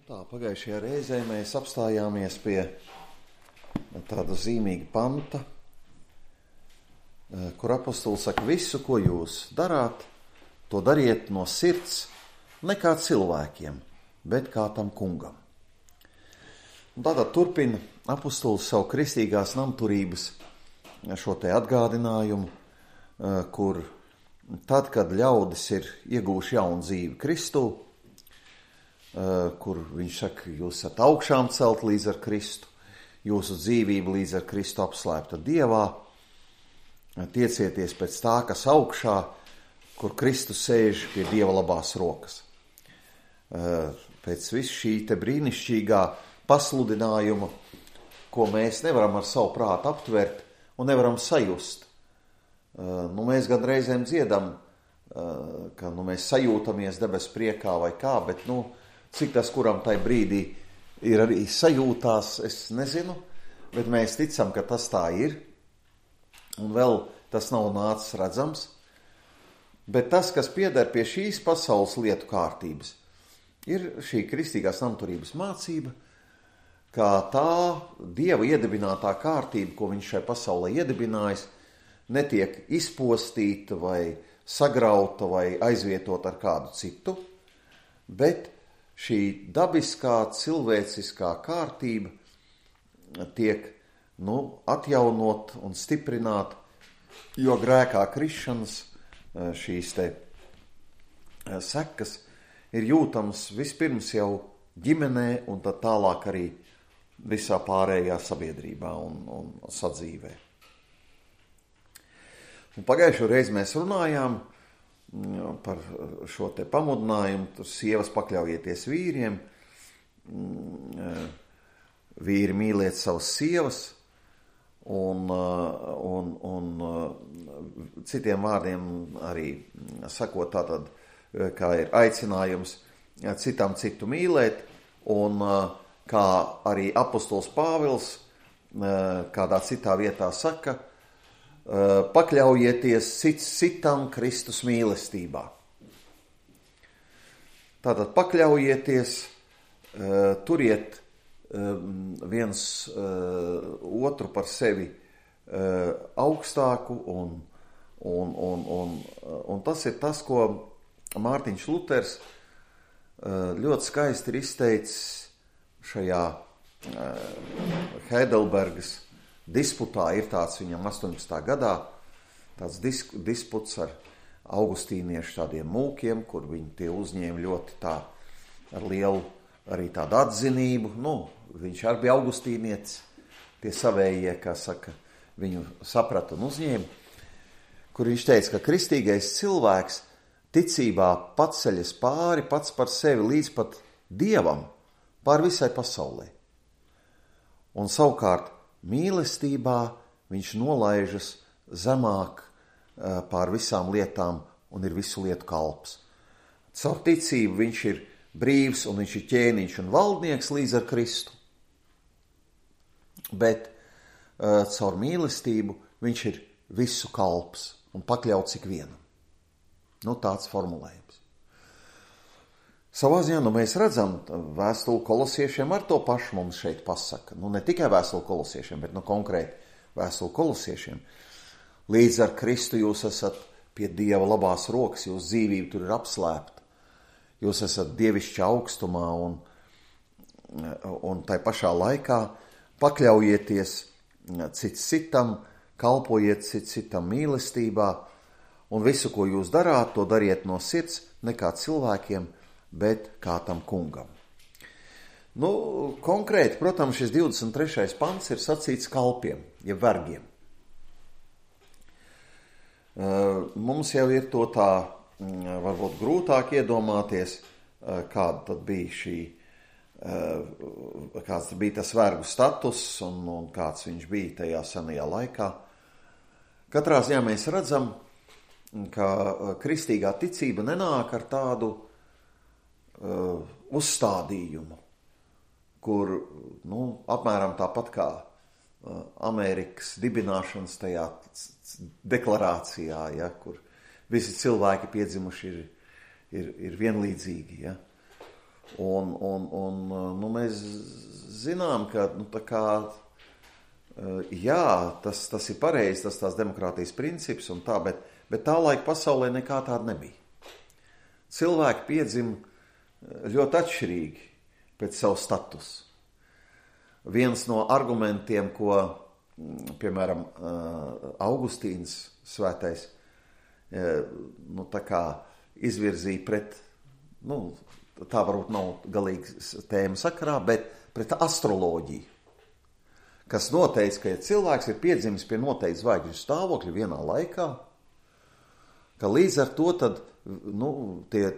Pagājušajā reizē mēs apstājāmies pie tāda zīmīga panta, kur apostols saka, visu, ko jūs darāt, to dariet no sirds, ne kā cilvēkiem, bet kā tam kungam. Un tātad turpina apostols savu kristīgās namturības šo te atgādinājumu, kur tad, kad ļaudis ir iegūši jaunu dzīvi Kristū, kur viņš saka, jūs esat augšām celt līdz ar Kristu, jūsu dzīvība līdz ar Kristu apslēpta Dievā, tiecieties pēc tā, kas augšā, kur Kristus sēž pie Dieva labās rokas. Pēc visu šī te brīnišķīgā pasludinājuma, ko mēs nevaram ar savu prātu aptvert un nevaram sajust. Mēs gan reizēm dziedam, ka mēs sajūtamies debes priekā vai kā, bet cik tas, kuram tai brīdī ir arī sajūtās, es nezinu, bet mēs ticam, ka tas tā ir, un vēl tas nav nācis redzams. Bet tas, kas pieder pie šīs pasaules lietu kārtības, ir šī kristīgās namturības mācība, kā tā Dieva iedibinātā kārtība, ko viņš šai pasaulē iedibinājis, netiek izpostīta vai sagrauta vai aizvietot ar kādu citu, bet šī dabiskā, cilvēciskā kārtība tiek atjaunot un stiprināt, jo grēkā krišanas šīs te sekas ir jūtams vispirms jau ģimenē un tad tālāk arī visā pārējā sabiedrībā un sadzīvē. Un pagājušo reizi mēs runājām par šo te pamudinājumu, tur sievas pakļaujieties vīriem, vīri mīliet savas sievas, un citiem vārdiem arī sakot tātad, kā ir aicinājums citam citu mīlēt, un kā arī apostols Pāvils kādā citā vietā saka, pakļaujieties citam Kristus mīlestībā. Tātad pakļaujieties, turiet viens otru par sevi augstāku, un tas ir tas, ko Mārtiņš Luters ļoti skaisti ir izteicis šajā Heidelbergas disputā. Ir tāds viņam 18. gadā tāds disputs ar augustīniešu tādiem mūkiem, kur viņi tie uzņēma ļoti tā ar lielu arī tādu atzinību. Viņš arī bija augustīnietis, tie savējie, kā saka, viņu saprata un uzņēma, kur viņš teica, ka kristīgais cilvēks ticībā paceļas pāri pats par sevi līdz pat Dievam, pār visai pasaulē. Un savukārt mīlestībā viņš nolaižas zemāk pār visām lietām un ir visu lietu kalps. Caur ticību viņš ir brīvs un viņš ir ķēniņš un valdnieks līdz ar Kristu. Bet caur mīlestību viņš ir visu kalps un pakļauts ikvienam. Tāds formulējums. Savā ziņā mēs redzam, vēstuli kolosiešiem ar to pašu mums šeit pasaka. Ne tikai vēstuli kolosiešiem, bet konkrēti vēstuli kolosiešiem. Līdz ar Kristu jūs esat pie Dieva labās rokas, jūsu dzīvība tur ir apslēpta. Jūs esat dievišķa augstumā un tai pašā laikā pakļaujieties cits citam, kalpojiet cits citam mīlestībā, un visu, ko jūs darāt, to dariet no sirds, ne kā cilvēkiem, bet kā tam kungam. Konkrēti, protams, šis 23. pants ir sacīts kalpiem, jeb vergiem. Mums jau ir to tā, varbūt grūtāk iedomāties, kāda tad bija kāds bija tas vergu status un kāds viņš bija tajā senajā laikā. Katrā ziņā mēs redzam, ka kristīgā ticība nenāk ar tādu uzstādījumu, kur, apmēram tāpat kā Amerikas dibināšanas tajā deklarācijā, kur visi cilvēki piedzimuši ir vienlīdzīgi, Un mēs zinām, ka jā, tas ir pareizi, tas tās demokrātijas princips un tā, bet tā laika pasaulē nekā tāda nebija. Cilvēki piedzima ļoti atšķirīgi pēc savu statusu. Viens no argumentiem, ko, piemēram, Augustīns svētais, izvirzīja pret, tā varbūt nav galīgi tēma sakarā, bet pret astroloģiju, kas noteica, ka ja cilvēks ir piedzimis pie noteikti zvaigžņu stāvokļa vienā laikā, ka līdz ar to tad,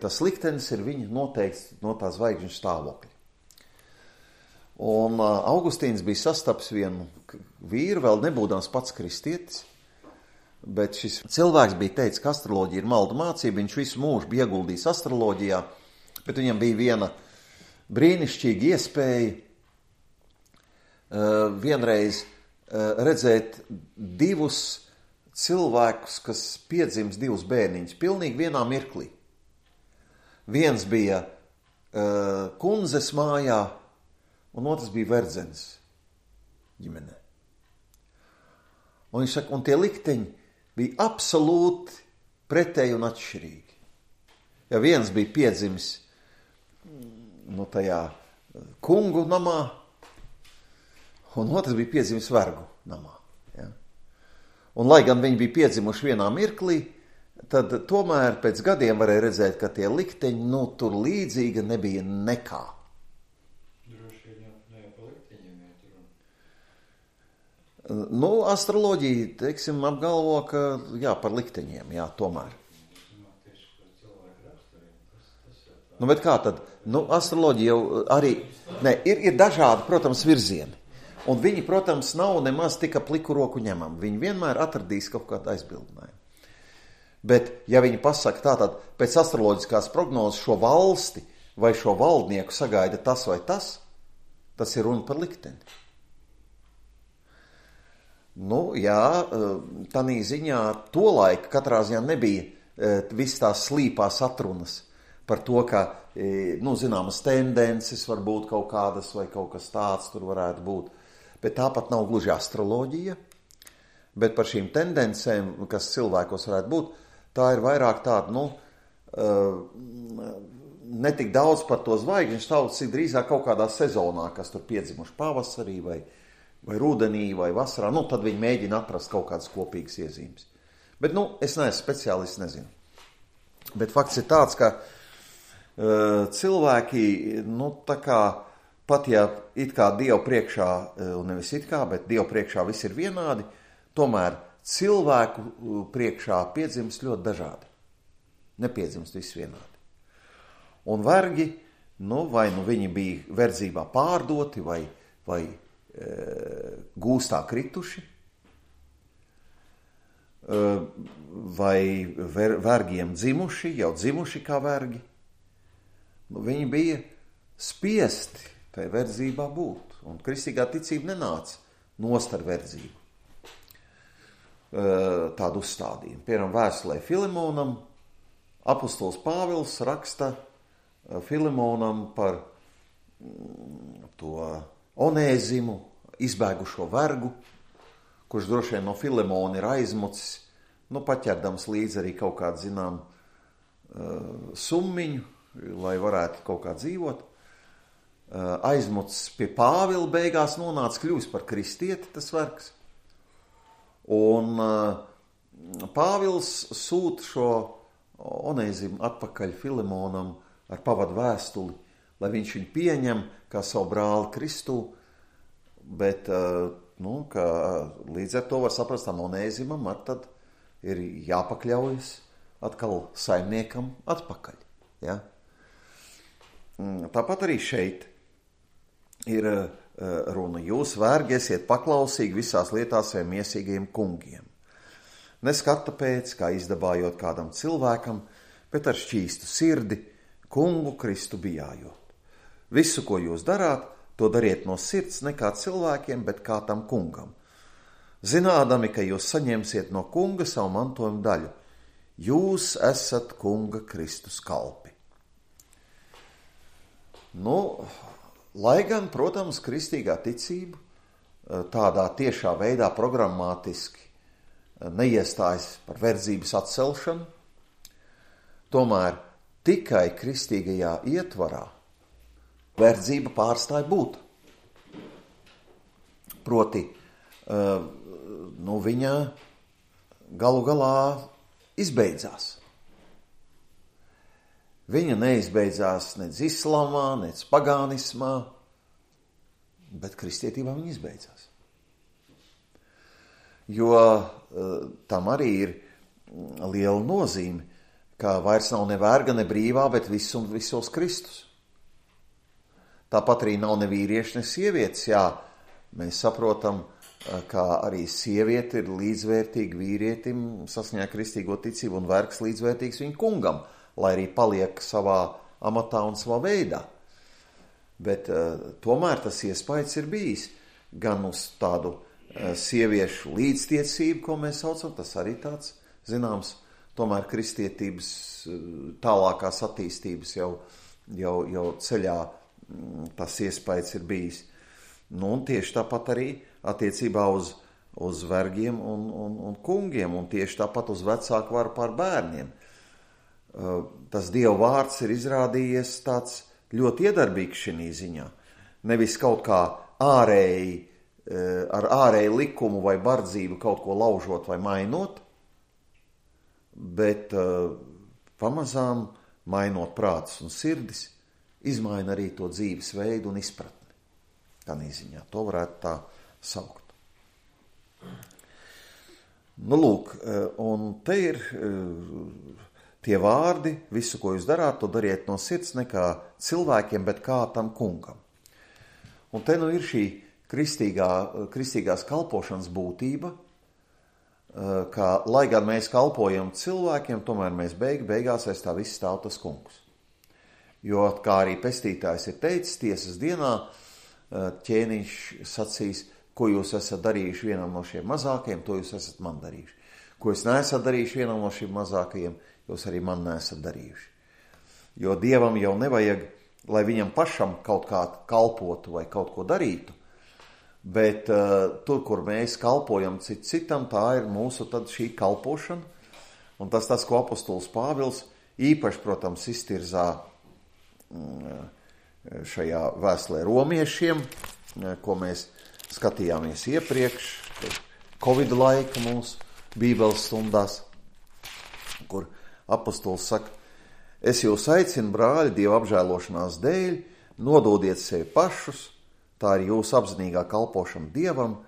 tas liktenis ir viņa noteikts no tā zvaigžņu stāvokļa. Un Augustīns bija sastaps vienu vīru, vēl nebūdams pats kristietis, bet šis cilvēks bija teicis, ka astroloģija ir maldu mācība, viņš visu mūžu bija ieguldījis astroloģijā, bet viņam bija viena brīnišķīga iespēja vienreiz redzēt divus cilvēkus, kas piedzims divus bērniņus, pilnīgi vienā mirklī. Viens bija kundzes mājā, un otrs bija verdzenis ģimenē. Un viņš saka, un tie likteņi bija absolūti pretēji un atšķirīgi. Ja viens bija piedzimis tajā kungu namā, un otrs bija piedzimis vergu namā. Ja? Un lai gan viņi bija piedzimuši vienā mirklī, tad tomēr pēc gadiem varēja redzēt, ka tie likteņi, tur līdzīga nebija nekā. Astroloģija, teiksim, apgalvo, ka jā, par likteņiem, jā, tomēr. Bet kā tad? Astroloģija jau arī, ir dažādi, protams, virzieni. Un viņi, protams, nav nemaz tik ap liku roku ņemami. Viņi vienmēr atradīs kaut kādu aizbildinājumu. Bet, ja viņi pasaka tātad, pēc astroloģiskās prognozes šo valsti vai šo valdnieku sagaida tas vai tas ir runa par likteni. Jā, tanī ziņā tolaik katrā ziņā nebija viss tās slīpās atrunas par to, ka, zināmas tendences var būt kaut kādas vai kaut kas tāds tur varētu būt. Bet tāpat nav gluži astroloģija, bet par šīm tendencēm, kas cilvēkos varētu būt, tā ir vairāk tāda, netik daudz par to zvaigžņu stāvokli, cik drīzāk kaut kādā sezonā, kas tur piedzimuši pavasarī vai rudenī vai vasarā, tad viņi mēģina atrast kaut kādas kopīgas iezīmes. Bet, es neesmu speciālists, nezinu. Bet fakts ir tāds, ka cilvēki, pat ja it kā Dievu priekšā, un nevis it kā, bet Dievu priekšā viss ir vienādi, tomēr cilvēku priekšā piedzimst ļoti dažādi. Nepiedzimst viss vienādi. Un vergi, vai viņi bija verdzībā pārdoti, vai gūstā krituši, vai vergiem dzimuši, jau dzimuši kā vergi. Viņi bija spiesti tai verdzībā būt, un kristīgā ticība nenāca nost ar verdzību. Tādu uzstādījumu. Piemēram, vēstulē Filemonam, apostols Pāvils raksta Filemonam par to Onēzimu, izbēgušo vergu, kurš droši vien no Filemona ir aizmucis, paķerdams līdzi arī kaut kādu, zinām, summiņu, lai varētu kaut kā dzīvot. Aizmucis pie Pāvila beigās nonāca, kļūst par kristieti tas vergs. Un Pāvils sūta šo Onēzimu atpakaļ Filemonam ar pavadu vēstuli, lai viņš viņu pieņem kā savu brāli Kristū, bet, ka līdz ar to var saprast, Onēzimam tad ir jāpakļaujas atkal saimniekam atpakaļ. Ja? Tāpat arī šeit ir runa. Jūs, vergi, esiet paklausīgi visās lietās saviem miesīgajiem kungiem. Neskata pēc, kā izdabājot kādam cilvēkam, bet ar šķīstu sirdi, kungu Kristu bijājot. Visu, ko jūs darāt, to dariet no sirds ne kā cilvēkiem, bet kā tam kungam. Zinādami, ka jūs saņemsiet no kunga savu mantojumu daļu. Jūs esat kunga Kristus kalpi. Nu, lai gan, protams, kristīgā ticība tādā tiešā veidā programmātiski neiestājas par verdzības atcelšanu, tomēr tikai kristīgajā ietvarā verdzība pārstāja būt. Proti, viņa galu galā izbeidzās. Viņa neizbeidzās nec islamā, nec pagānismā, bet kristietībā viņa izbeidzās. Jo tam arī ir liela nozīme, ka vairs nav ne verga, ne brīvā, bet viss un visos Kristus. Tāpat arī nav ne vīrieši, ne sievietes. Jā, mēs saprotam, ka arī sieviete ir līdzvērtīga vīrietim saskaņā kristīgo ticību un vergs līdzvērtīgs viņa kungam, lai arī paliek savā amatā un savā veidā. Bet tomēr tas iespējas ir bijis gan uz tādu sieviešu līdztiecību, ko mēs saucam, tas arī tāds, zināms, tomēr kristietības tālākās attīstības jau ceļā tas iespējas ir bijis. Nu, un tieši tāpat arī attiecībā uz vergiem un kungiem, un tieši tāpat uz vecāku varu pār bērniem. Tas Dieva vārds ir izrādījies tāds ļoti iedarbīgs šī ziņā. Nevis kaut kā ārēji, ar ārēju likumu vai bardzību kaut ko laužot vai mainot, bet pamazām mainot prātus un sirdis, izmaina arī to dzīves veidu un izpratni. Tādā ziņā to varētu tā saukt. Nu, lūk, un te ir tie vārdi, visu, ko jūs darāt, to dariet no sirds, ne kā cilvēkiem, bet kā tam kungam. Un te nu ir šī kristīgās kalpošanas būtība, ka, lai gan mēs kalpojam cilvēkiem, tomēr mēs beigās aiz tā viss stāv tas kungs. Jo, kā arī pestītājs ir teicis, tiesas dienā ķēniņš sacīs, ko jūs esat darījuši vienam no šiem mazākajiem, to jūs esat man darījuši. Ko jūs neesat darījuši vienam no šiem mazākajiem, jūs arī man neesat darījuši. Jo Dievam jau nevajag, lai viņam pašam kaut kā kalpotu vai kaut ko darītu, bet tur, kur mēs kalpojam citam, tā ir mūsu tad šī kalpošana, un tas, ko apostols Pāvils īpaši, protams, iztirzā šajā vēstulē romiešiem, ko mēs skatījāmies iepriekš, Covid laika mūsu bībeles stundās, kur apostols saka, es jūs aicinu, brāļi, Dieva apžēlošanās dēļ, nododiet sevi pašus, tā ir jūsu apzinīgā kalpošana Dievam,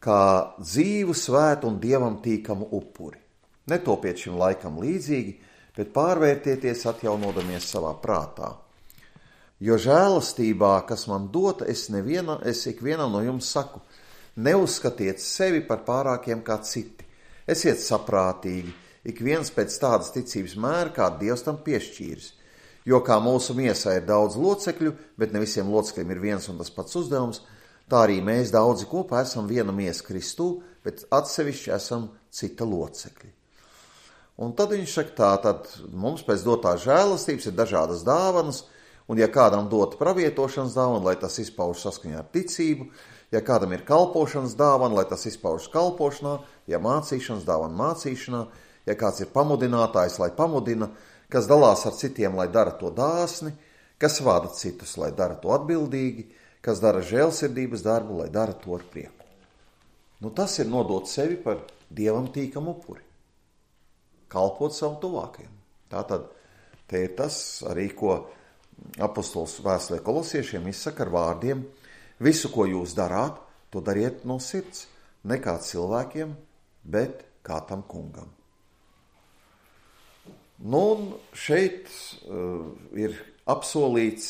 kā dzīvu, svētu un Dievam tīkamu upuri. Netopiet šim laikam līdzīgi, bet pārvērtieties, atjaunodamies savā prātā. Jo žēlastībā, kas man dota, es ikvienam no jums saku, neuzskatiet sevi par pārākiem kā citi. Esiet saprātīgi, ik viens pēc tādas ticības mēra, kā Dievs tam piešķīris. Jo kā mūsu miesā ir daudz locekļu, bet ne visiem locekļiem ir viens un tas pats uzdevums, tā arī mēs daudzi kopā esam viena miesa Kristū, bet atsevišķi esam cita locekļi. Un tad viņš saka tā, tad mums pēc dotās žēlastības ir dažādas dāvanas, un ja kādam dot pravietošanas dāvana, lai tas izpauž saskaņā ar ticību, ja kādam ir kalpošanas dāvana, lai tas izpauž kalpošanā, ja mācīšanas dāvana mācīšanā, ja kāds ir pamudinātājs, lai pamudina, kas dalās ar citiem, lai dara to dāsni, kas vada citus, lai dara to atbildīgi, kas dara žēlsirdības darbu, lai dara to ar prieku. Nu, tas ir nodot sevi par Dievam tīkamu upuri. Kalpot savu tuvākajam. Tātad te ir tas arī, ko apostols vēstulē kolosiešiem izsaka ar vārdiem, visu, ko jūs darāt, to dariet no sirds, ne kā cilvēkiem, bet kā tam kungam. Nu, un šeit ir apsolīts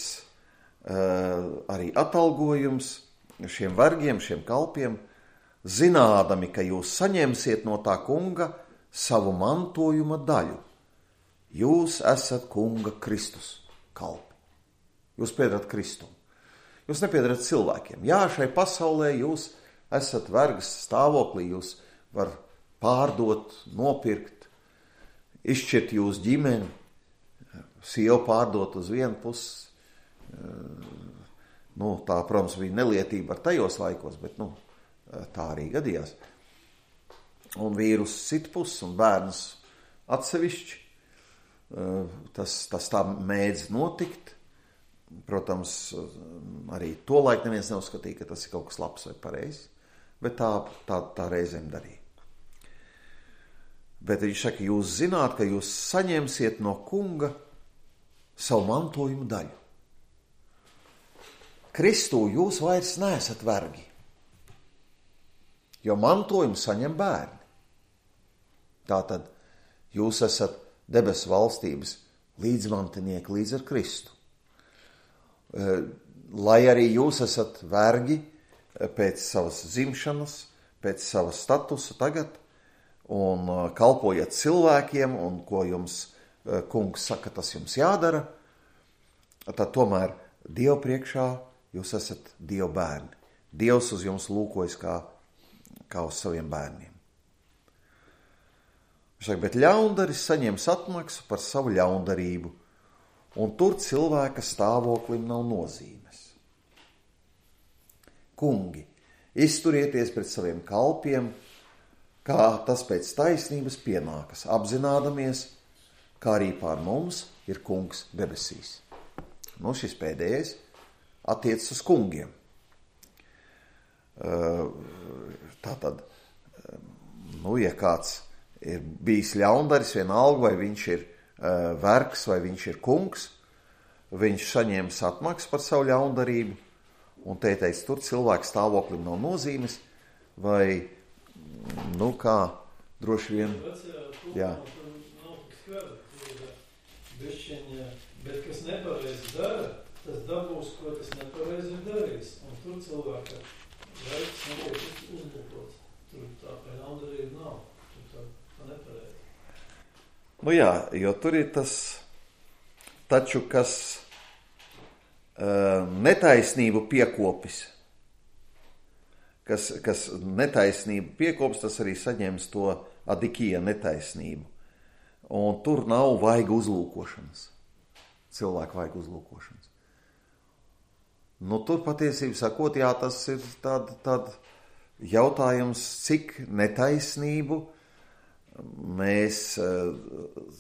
arī atalgojums šiem vergiem, šiem kalpiem, zinādami, ka jūs saņemsiet no tā kunga savu mantojuma daļu. Jūs esat kunga Kristus kalpi. Jūs piedarat Kristum. Jūs nepiedarat cilvēkiem. Jā, šai pasaulē jūs esat vergas stāvoklī, jūs var pārdot, nopirkt, izšķirt jūsu ģimeni, sievu pārdot uz vienu pusi, tā, protams, bija nelietība ar tajos laikos, bet, tā arī gadījās. Un vīrus citpus un bērnus atsevišķi. Tas tā mēdz notikt. Protams, arī tolaik neviens neuzskatīja, ka tas ir kaut kas labs vai pareizs, bet tā reizēm darīja. Bet viņš saka, jūs zināt, ka jūs saņemsiet no kunga savu mantojumu daļu. Kristū jūs vairs neesat vergi, jo mantojumu saņem bērni. Tātad jūs esat debesu valstības līdzmantinieki līdz ar Kristu. Lai arī jūs esat vergi pēc savas dzimšanas, pēc sava statusa tagad, un kalpojat cilvēkiem, un ko jums kungs saka, tas jums jādara, tad tomēr Dievu priekšā jūs esat Dieva bērni. Dievs uz jums lūkojas kā uz saviem bērniem. Bet ļaundaris saņems atmaksu par savu ļaundarību, un tur cilvēka stāvoklim nav nozīmes. Kungi, izturieties pret saviem kalpiem, kā tas pēc taisnības pienākas, apzinādamies, kā arī pār mums ir kungs debesīs. Šis pēdējais attiecas uz kungiem. Tātad, ja kāds ir bijis ļaundaris, vienalga, vai viņš ir vergs, vai viņš ir kungs, viņš saņēmis atmaksu par savu ļaundarību, un te teica, tur cilvēku stāvoklim nav nozīmes, vai, kā, droši vien, jā. Bet kas nepareizi dara, tas dabūs, ko tas nepareizi darīs, un tur cilvēka veids netiek uzlūkots. Tur tā ļaundarība nav, tur tā nepareizi. Jā, jo tur ir tas, taču, kas netaisnību piekopis, kas netaisnību piekopis, tas arī saņems to adikija netaisnību. Un tur nav vaiga uzlūkošanas. Cilvēku vajag uzlūkošanas. Tur patiesībā sakot, jā, tas ir tād jautājums, cik netaisnību mēs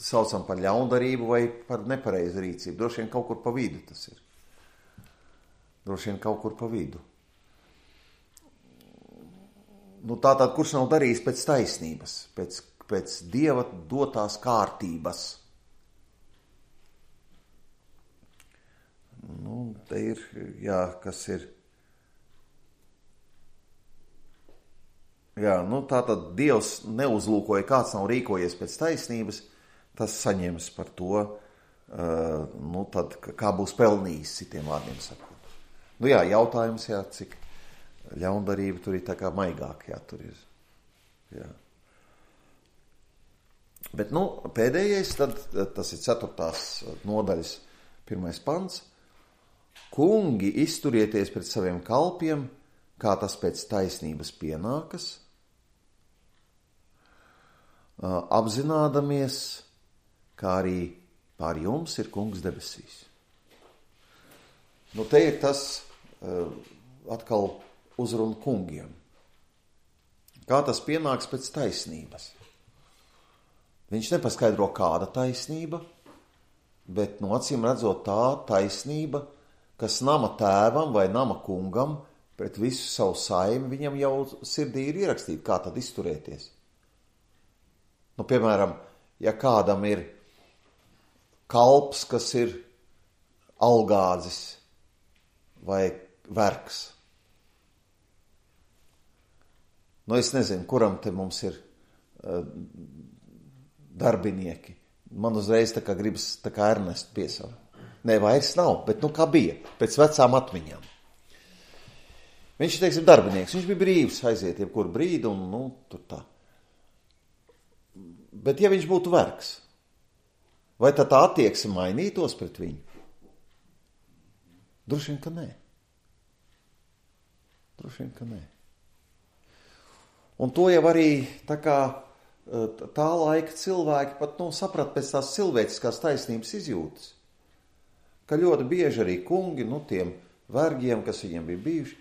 saucam par ļaundarību vai par nepareizu rīcību. Droši vien kaut kur pa vidu tas ir. Droši vien kaut kur pa vidu. Tātad, kurš nav darījis pēc taisnības, pēc Dieva dotās kārtības. Te ir, jā, kas ir. Jā, tātad Dievs neuzlūkoja, kāds nav rīkojies pēc taisnības, tas saņems par to, tad kā būs pelnījis, citiem vārdiem sakot. Jā, jautājums, jā, cik ļaundarība tur ir tā kā maigāk, jā, tur ir, jā. Bet, pēdējais, tad tas ir 4. nodaļas 1. pants. Kungi, izturieties pret saviem kalpiem, kā tas pēc taisnības pienākas, apzinādamies, kā arī pār jums ir kungs debesīs. Te ir tas atkal uzruna kungiem. Kā tas pienāks pēc taisnības? Viņš nepaskaidro, kāda taisnība, bet acīm redzot tā taisnība, kas nama tēvam vai nama kungam pret visu savu saimi, viņam jau sirdī ir ierakstīta, kā tad izturēties. Piemēram, ja kādam ir kalps, kas ir algādzis vai vergs. Es nezinu, kuram te mums ir darbinieki. Man uzreiz tā kā gribas tā kā Ernestu piesaukt. Nē, vairs nav, bet kā bija, pēc vecām atmiņām. Viņš, teiksim, darbinieks, viņš bija brīvs aiziet jebkuru brīdi un, tur tā. Bet ja viņš būtu vergs, vai tā attieksme mainītos pret viņu? Droši vien, ka nē. Droši vien, ka nē. Un to jau arī tā laika cilvēki pat saprat pēc tās cilvēciskās taisnības izjūtas. ka ļoti bieži arī kungi, tiem vergiem, kas viņiem bija bijuši,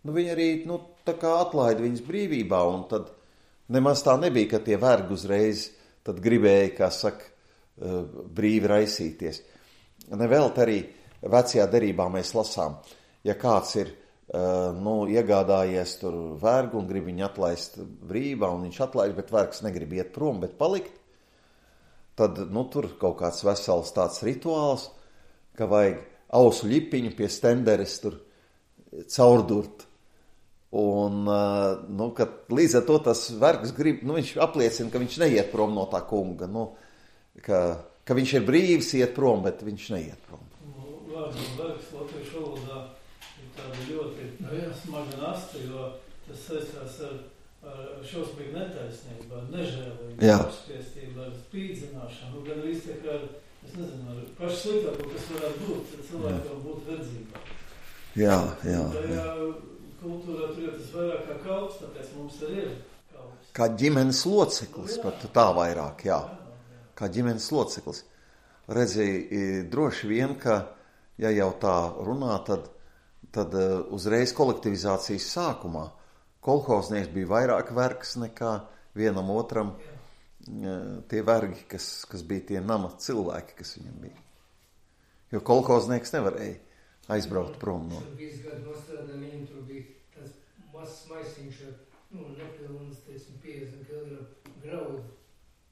viņi arī, tā kā atlaida viņas brīvībā, un tad nemaz tā nebija, ka tie vergi uzreiz tad gribēja, kā saka, brīvi raisīties. Nevelt arī vecajā derībā mēs lasām, ja kāds ir iegādājies tur vergu un grib viņu atlaist brīvībā, un viņš atlaiž, bet vergs negrib iet prom, bet palikt, tad tur kaut kāds vesels tāds rituāls, ka vajag ausu ļipiņu pie stenderes tur caurdurt. Un, kad līdz ar to tas vergs grib, viņš apliecina, ka viņš neiet prom no tā kunga, ka viņš ir brīvs iet prom, bet viņš neiet prom. Vārds un vergs latviešu valodā ir tāda ļoti smaga nasta, jo tas saistās ar šausmīgu netaisnību, ar nežēlību, apspiestību, ar spīdzināšanu, gan viss tā kā, es nezinu, ar pašu sliktāko, kas varētu būt, cilvēkam būt verdzībā. Jā. Tajā kultūrā tur ir tas vairāk kā kalps, tāpēc mums arī ir kalps. Kā ģimenes loceklis, pat tā vairāk, jā. Kā ģimenes loceklis. Redzi, droši vien, ka, ja jau tā runā, tad uzreiz kolektivizācijas sākumā kolhoznieks bija vairāk vergs nekā vienam otram tie vergi, kas bija tie nama cilvēki, kas viņam bija. Jo kolhoznieks nevarēja aizbraukt prom no. Tur visu gadu nostrādā, viņam tur bija tāds mazs maisiņš ar, nepilnas, 50 kg graudu.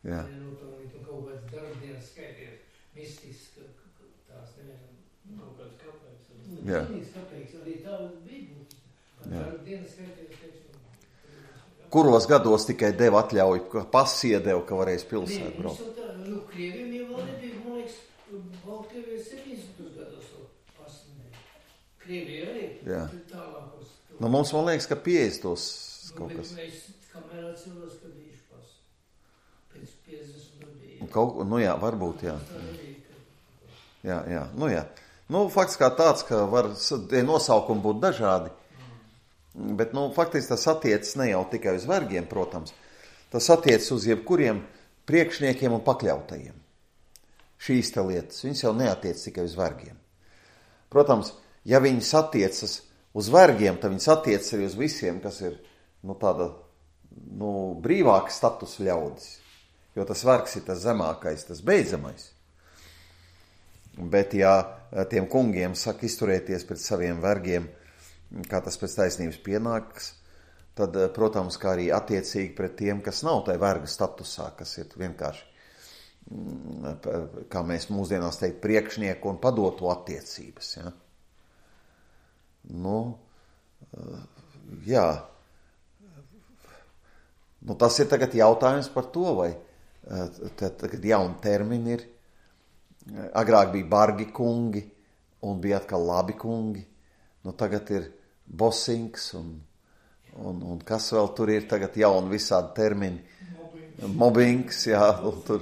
Jā. Un kaut kāds darbdienas skaities, mistisks, tās nevienam. Kaut kāds kāpēc. Jā. Kāpēc arī tā bija būtis. Darbdienas skaities, Kuros gados tikai deva atļauju, ka pasi iedeva, ka varēs pilsēt braukt? Krieviem jau vēl nebija, man liekas, Baltkrievijā 70. gados pasi nebija. Krievijā arī tālākos. Mums, man liekas, ka 50. kaut kas. Mēs kamērā cilvēks, ka bijuši pasi. Pēc 50. bija. Varbūt, jā. Jā. Fakts kā tāds, ka var nosaukumi būt dažādi. Bet, faktiski tas attiecas ne jau tikai uz vergiem, protams. Tas attiecas uz jebkuriem priekšniekiem un pakļautajiem. Šīs te lietas, viņas jau neatiec tikai uz vergiem. Protams, ja viņas attiecas uz vergiem, tad viņas attiecas arī uz visiem, kas ir, tāda, brīvāka statusa ļaudis. Jo tas vergs ir tas zemākais, tas beidzamais. Bet, ja tiem kungiem saka izturēties pret saviem vergiem, kā tas pēc taisnības pienāks, tad, protams, kā arī attiecīgi pret tiem, kas nav tai verga statusā, kas ir vienkārši, kā mēs mūsdienās teikt, priekšnieku un padoto attiecības. Ja? Tas ir tagad jautājums par to, vai tagad jauni termini ir. Agrāk bija bargi kungi un bija atkal labi kungi. Tagad ir bosings un kas vēl tur ir tagad jauni visādi termini. Mobbings, jā, tur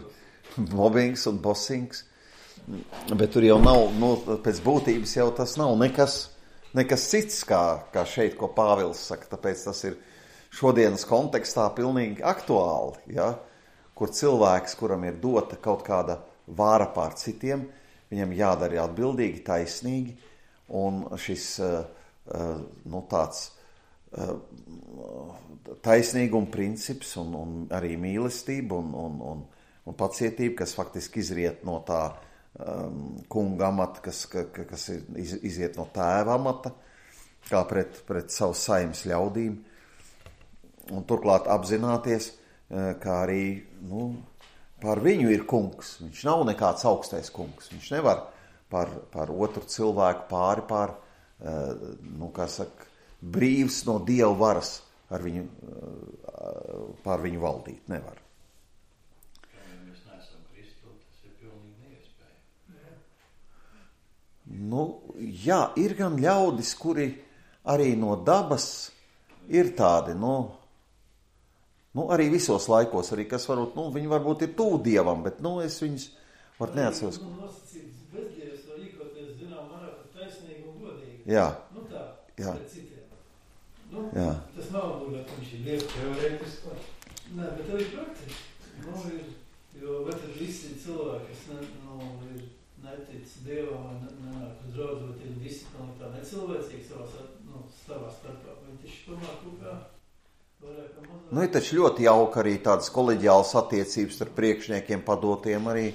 mobbings un bosings. Bet tur jau nav, pēc būtības jau tas nav nekas cits, kā šeit, ko Pāvils saka. Tāpēc tas ir šodienas kontekstā pilnīgi aktuāli, ja? Kur cilvēks, kuram ir dota kaut kāda vāra pār citiem, viņam jādara atbildīgi, taisnīgi, un šis tāds taisnīguma princips un arī mīlestība un pacietība, kas faktiski izriet no tā kunga amata, kas iziet no tēva amata, kā pret savu saimes ļaudīm, un turklāt apzināties, kā arī pār viņu ir kungs. Viņš nav nekāds augstais kungs. Viņš nevar par otru cilvēku pār brīvs no Dieva varas pār viņu valdīt. Nevar. Ja mēs neesam Kristu, tas ir pilnīgi neiespējami. Jā, ir gan ļaudis, kuri arī no dabas ir tādi, arī visos laikos, arī kas viņi varbūt ir tuvu Dievam, bet, es viņus var neatceros. Bezdievs var rīkoties, marā, taisnīgi un godīgi. Jā. Jā. Pret citiem. Tas nav būtībā, ka viņš ir Dievs teorētiski. Nē, bet arī praktiski. Jo, bet tad visi cilvēki, kas ir netic Dievam vai nenāk uz draudzu, vai ir disciplīna tā necilvēcīga savā starpā. Vai taču tomēr kaut kā vairāk kā mazāk? Nu, ir taču ļoti jauka arī tādas koleģiālas attiecības ar priekšniekiem padotiem arī,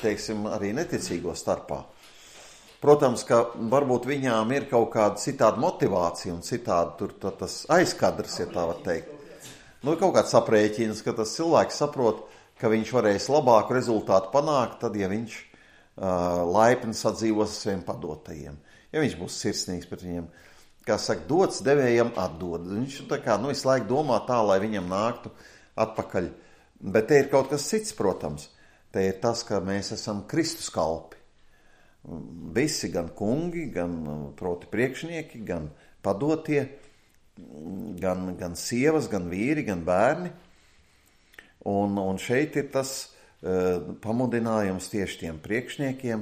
teiksim, arī neticīgo starpā. Protams, ka varbūt viņām ir kaut kāda citāda motivācija un citādi tur tas aizkadrs, ja tā var teikt. Nu, kaut kāds aprēķins, ka tas cilvēks saprot, ka viņš varēs labāku rezultātu panākt, tad, ja viņš laipni sadzīvos ar saviem padotajiem. Ja viņš būs sirsnīgs pret viņiem, kā saka, dots devējam atdod. Viņš tā kā, visu laiku domā tā, lai viņam nāktu atpakaļ. Bet te ir kaut kas cits, protams. Te ir tas, ka mēs esam Kristus kalpi. Visi, gan kungi, gan proti priekšnieki, gan padotie, gan sievas, gan vīri, gan bērni. Un šeit ir tas pamudinājums tieši tiem priekšniekiem,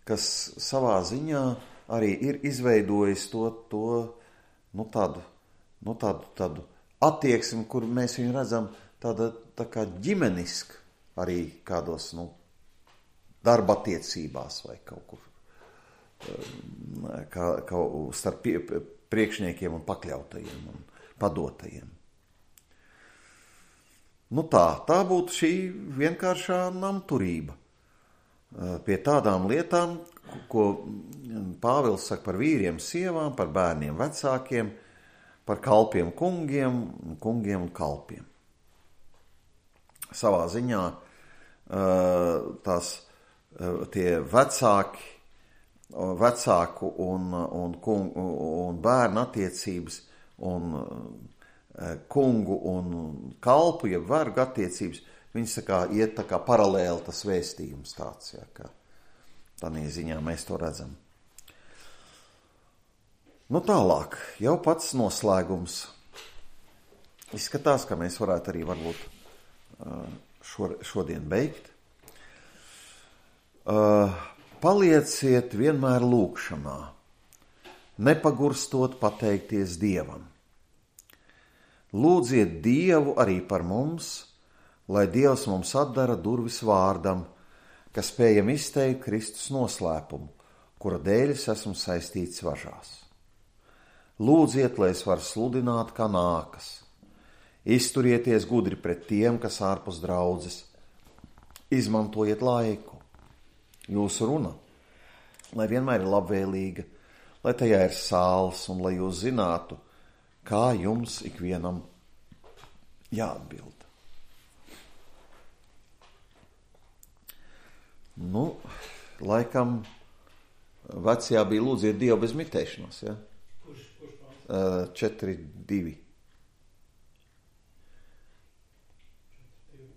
kas savā ziņā arī ir izveidojis tādu attieksmi, kur mēs viņu redzam tā kā ģimeniski arī kādos, darba attiecībās vai kaut kur kā starp priekšniekiem un pakļautajiem un padotajiem. Tā būtu šī vienkāršā namturība pie tādām lietām, ko Pāvils saka par vīriem, sievām, par bērniem, vecākiem, par kalpiem, kungiem un kalpiem. Savā ziņā tie vecāku un bērnu attiecības un kungu un kalpu, ja vergu attiecības, viņas iet tā kā paralēli tas vēstījums tāds, ja, ka tādā ziņā mēs to redzam. Tālāk, jau pats noslēgums. Izskatās, ka mēs varētu arī varbūt šodien beigt. Palieciet vienmēr lūgšanā, nepagurstot pateikties Dievam. Lūdziet Dievu arī par mums, lai Dievs mums atdara durvis vārdam, ka spējam izteikt Kristus noslēpumu, kura dēļ es esmu saistīts važās. Lūdziet, lai es varu sludināt, kā nākas. Izturieties gudri pret tiem, kas ārpus draudzes. Izmantojiet laiku. Jūsu runa, lai vienmēr ir labvēlīga, lai tajā ir sāls un lai jūs zinātu, kā jums ikvienam jāatbild. Laikam vecajā bija lūdziet Dievu bez mitēšanās, ja? Kurš 4.2.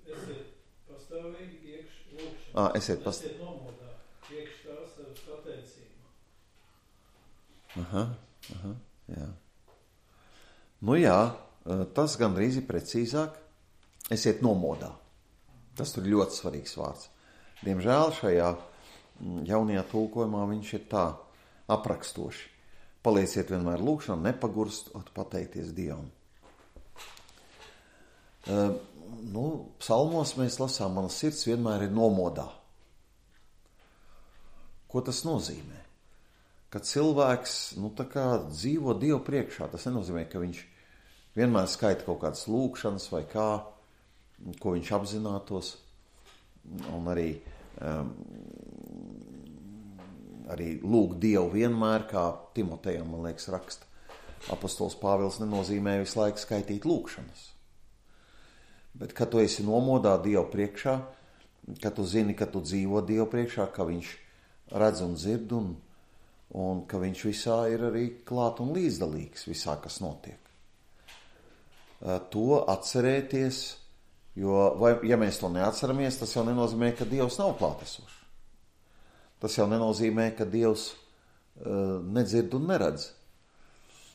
Esiet pastāvīgi iekš lūkšanā. Esiet nomodā, iekš tās ar pateicību. Jā. Tas gandrīz ir precīzāk. Esiet nomodā. Tas tur ļoti svarīgs vārds. Diemžēl šajā jaunajā tulkojumā viņš ir tā aprakstoši. Palieciet vienmēr lūkšanā, nepagurstot pateikties Dievam. Psalmos mēs lasām, mana sirds vienmēr ir nomodā. Ko tas nozīmē? Kad cilvēks, dzīvo Dievu priekšā, tas nenozīmē, ka viņš vienmēr skaita kaut kādas lūkšanas vai kā, ko viņš apzinātos, un arī lūgt Dievu vienmēr, kā Timotejam, man liekas, raksta apostols Pāvils, nenozīmē visu laiku skaitīt lūkšanas. Bet, kad tu esi nomodā Dievu priekšā, kad tu zini, ka tu dzīvo Dievu priekšā, ka viņš redz un dzird un ka viņš visā ir arī klāt un līdzdalīgs visā, kas notiek. To atcerēties, ja mēs to neatceramies, tas jau nenozīmē, ka Dievs nav klātesošs. Tas jau nenozīmē, ka Dievs nedzird un neredz.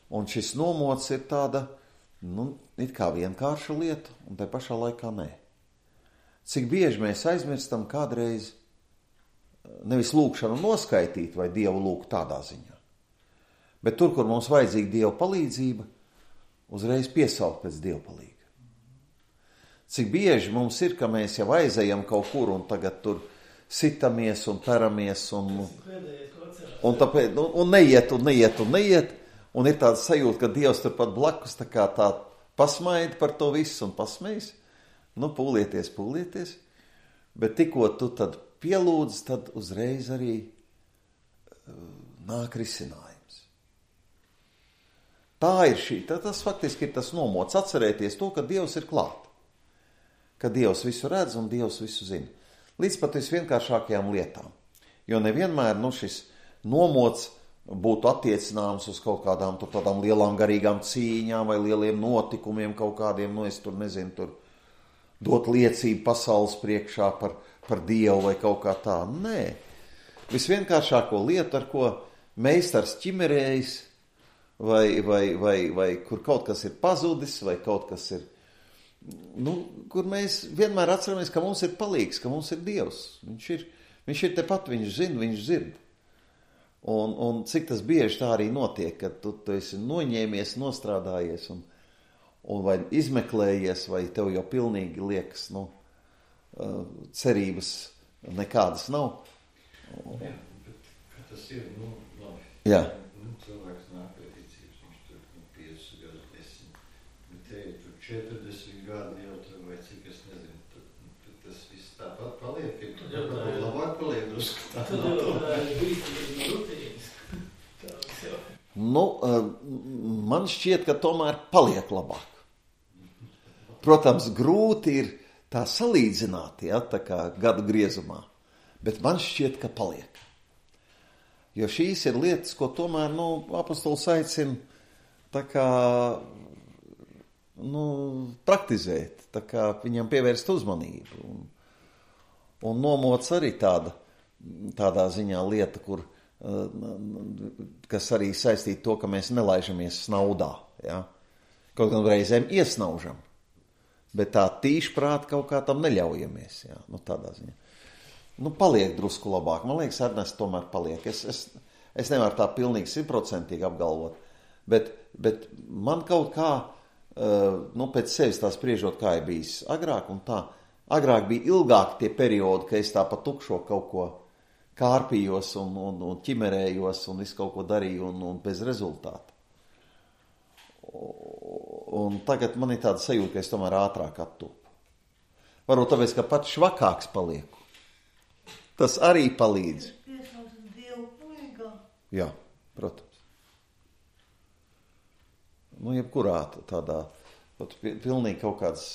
Un šis nomods ir tāda, it kā vienkārša lieta, un tai pašā laikā nē. Cik bieži mēs aizmirstam kādreiz nevis lūkšanu noskaitīt vai Dievu lūgt tādā ziņā, bet tur, kur mums vajadzīga Dieva palīdzība, uzreiz piesaukt pēc Dieva palīga. Cik bieži mums ir, ka mēs jau aizejam kaut kur un tagad tur sitamies un peramies Pēdējais, ko atcerās. un tāpēc, un neiet, un ir tāda sajūta, ka Dievs turpat blakus tā kā tā pasmaida par to visu un pasmējas. Nu, pūlieties, bet tikko tu tad pielūdz, tad uzreiz arī nāk risinājums. Tā ir tas faktiski ir tas nomots, atcerēties to, ka Dievs ir klāt, ka Dievs visu redz un Dievs visu zina. Līdz pat visvienkāršākajām lietām, jo nevienmēr šis nomots būtu attiecināms uz kaut kādām tādām lielām garīgām cīņām vai lieliem notikumiem kaut kādiem, es tur nezinu, tur dot liecību pasaules priekšā par Dievu vai kaut kā tā. Nē, visvienkāršāko lietu, ar ko meistars ķimerējis vai kur kaut kas ir pazudis vai kaut kas ir, kur mēs vienmēr atceramies, ka mums ir palīgs, ka mums ir Dievs. Viņš ir tepat, viņš zina, viņš dzird. Un cik tas bieži tā arī notiek, kad tu esi noņēmies, nostrādājies un vai izmeklējies, vai tev jau pilnīgi liekas, cerības nekādas nav. Jā, bet tas ir, labi. Jā. Cilvēks nāk pie ticības, viņš tur 5 gadu 10, bet te ir tur 40 gadi jau tur, vai cik es nezinu, tur tas viss tāpat paliek, ka labāk paliek drusku tā. Tad jau tā ir brīdīgi rutīnas. Man šķiet, ka tomēr paliek labāk. Protams, grūti ir tā salīdzināt, tā kā gadu griezumā, bet man šķiet, ka paliek. Jo šīs ir lietas, ko tomēr, apostols aicina tā kā, praktizēt, tā kā viņam pievērst uzmanību. Un nomots arī tādā ziņā lieta, kas arī saistīta to, ka mēs nelaižamies snaudā. Ja? Kaut gan reizēm iesnaužam, bet tā tīšprāt kaut kā tam neļaujamies. Ja? Tādā ziņā. Paliek drusku labāk. Man liekas, Ernest tomēr paliek. Es nevaru tā pilnīgi 100% apgalvot, bet man kaut kā, pēc sevis tā spriežot, kā ir bijis agrāk un tā. Agrāk bija ilgāk tie periodi, ka es tā pa tukšo kaut ko kārpījos un ķimerējos un visu kaut ko darīju un bez rezultāta. Un tagad man ir tāda sajūta, ka es tomēr ātrāk attopu. Varbūt tāpēc, ka pats švakāks palieku. Tas arī palīdz. Jā, protams. Jebkurā tādā, pilnīgi kaut kādas